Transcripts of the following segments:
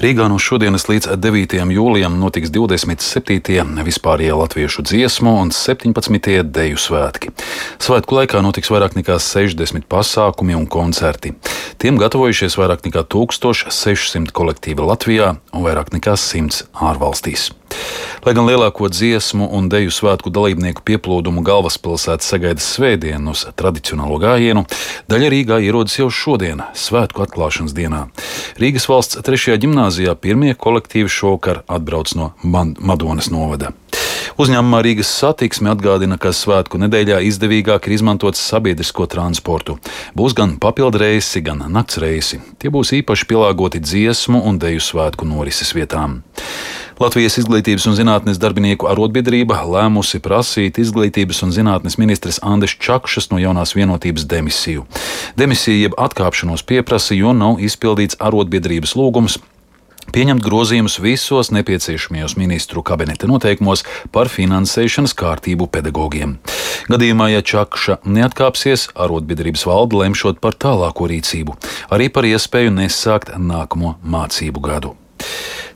Rīgā no šodienas līdz 9. jūlijam notiks 27. vispārējie latviešu dziesmu un 17. deju svētki. Svētku laikā notiks vairāk nekā 60 pasākumi un koncerti. Tiem gatavojušies vairāk nekā 1600 kolektīvi Latvijā un vairāk nekā 100 ārvalstīs. Lai gan lielāko dziesmu un deju svētku dalībnieku pieplūdumu galvaspilsēta sagaida svētdien uz tradicionālo gājienu, daļa Rīgā ierodas jau šodien, svētku atklāšanas dienā. Rīgas valsts 3. ģimnāzijā pirmie kolektīvi šovakar atbrauc no Madonas novada. Uzņēmumā Rīgas Satiksme atgādina, ka svētku nedēļā izdevīgāk ir izmantot sabiedrisko transportu. Būs gan papildu reisi, gan nakts reisi. Tie būs īpaši pielāgoti dziesmu un deju svētku norises vietām. Latvijas Izglītības un zinātnes darbinieku arotbiedrība lēmusi prasīt Izglītības un zinātnes ministres Andes Čakšas no Jaunās vienotības demisiju. Demisija jeb atkāpšanos pieprasa, jo nav izpildīts arotbiedrības lūgums pieņemt grozījumus visos nepieciešamajos ministru kabineta noteikumos par finansēšanas kārtību pedagogiem. Gadījumā, ja Čakša neatkāpsies, arotbiedrības valde lemšot par tālāko rīcību, arī par iespēju nesākt nākamo mācību gadu.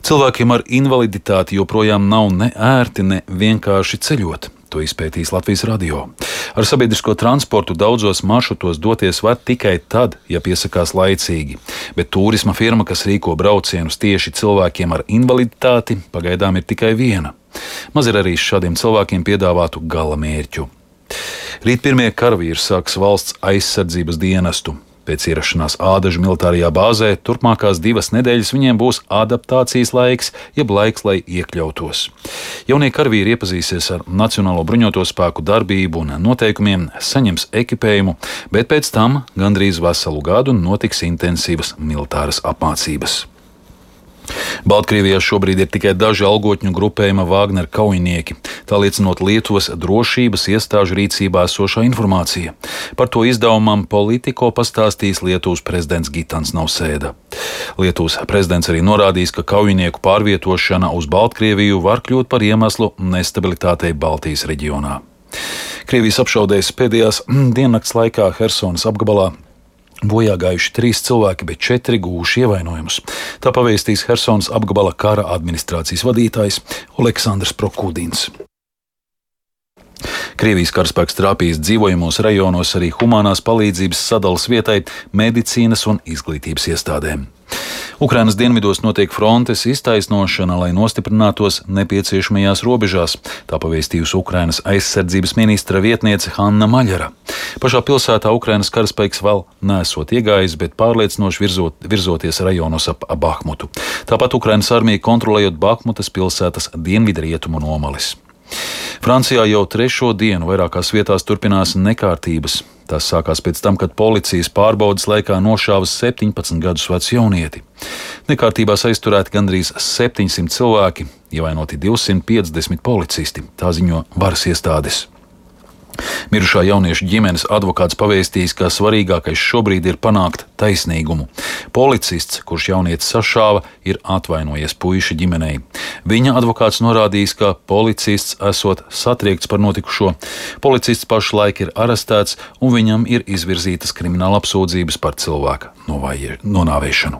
Cilvēkiem ar invaliditāti joprojām nav ne ērti, ne vienkārši ceļot. To izpētīs Latvijas radio. Ar sabiedrisko transportu daudzos maršrutos doties var tikai tad, ja piesakās laicīgi, bet turisma firma, kas rīko braucienus tieši cilvēkiem ar invaliditāti, pagaidām ir tikai viena. Maz ir arī šādiem cilvēkiem piedāvātu gala mērķu. Rīt pirmie karavīri sāks valsts aizsardzības dienestu. Pēc ierašanās Ādažu militārajā bāzē turpmākās 2 nedēļas viņiem būs adaptācijas laiks, jeb laiks, lai iekļautos. Jaunie karavīri iepazīsies ar Nacionālo bruņoto spēku darbību un noteikumiem, saņems ekipējumu, bet pēc tam gandrīz veselu gadu notiks intensīvas militāras apmācības. Baltkrievijā šobrīd ir tikai daži algotņu grupējuma Wagner kaujinieki, tā liecinot Lietuvas drošības iestāžu rīcībā esošā informācija. Par to izdevumam Politico pastāstīs Lietuvas prezidents Gitans Nausēda. Lietuvas prezidents arī norādījis, ka kaujinieku pārvietošana uz Baltkrieviju var kļūt par iemeslu nestabilitātei Baltijas reģionā. Krievijas apšaudēs pēdējās diennakts laikā Hersonas apgabalā bojā gājuši 3 cilvēki, bet 4 guvuši ievainojumus. Tā pavēstīs Hersonas apgabala kara administrācijas vadītājs Oleksandrs Prokudins. Krievijas karaspēks trāpījis dzīvojamos rajonos arī humanās palīdzības sadalas vietai, medicīnas un izglītības iestādēm. Ukrainas dienvidos notiek frontes iztaisnošana, lai nostiprinātos nepieciešamajās robežās, tā pavēstījusi Ukrainas aizsardzības ministra vietniece Hanna Maļara. Pašā pilsētā Ukrainas karaspēks vēl nesot iegājis, bet pārliecinoši virzoties rajonos ap Bahmutu. Tāpat Ukrainas armija kontrolējot Bahmutas pilsētas dienvidrietumu nomalis. Francijā jau 3. dienu vairākās vietās turpinās nekārtības. Tas sākās pēc tam, kad policijas pārbaudes laikā nošāva 17 gadus vecu jaunieti. Nekārtībās aizturēti gandrīz 700 cilvēki, ievainoti 250 policisti, tā ziņo varas iestādes. Mirušā jaunieša ģimenes advokāts pavēstījis, ka svarīgākais šobrīd ir panākt taisnīgumu. Policists, kurš jaunieti sašāva, ir atvainojies puiša ģimenei. Viņa advokāts norādījis, ka policists esot satriekts par notikušo. Policists pašlaik ir arestēts un viņam ir izvirzītas krimināla apsūdzības par cilvēka nonāvēšanu.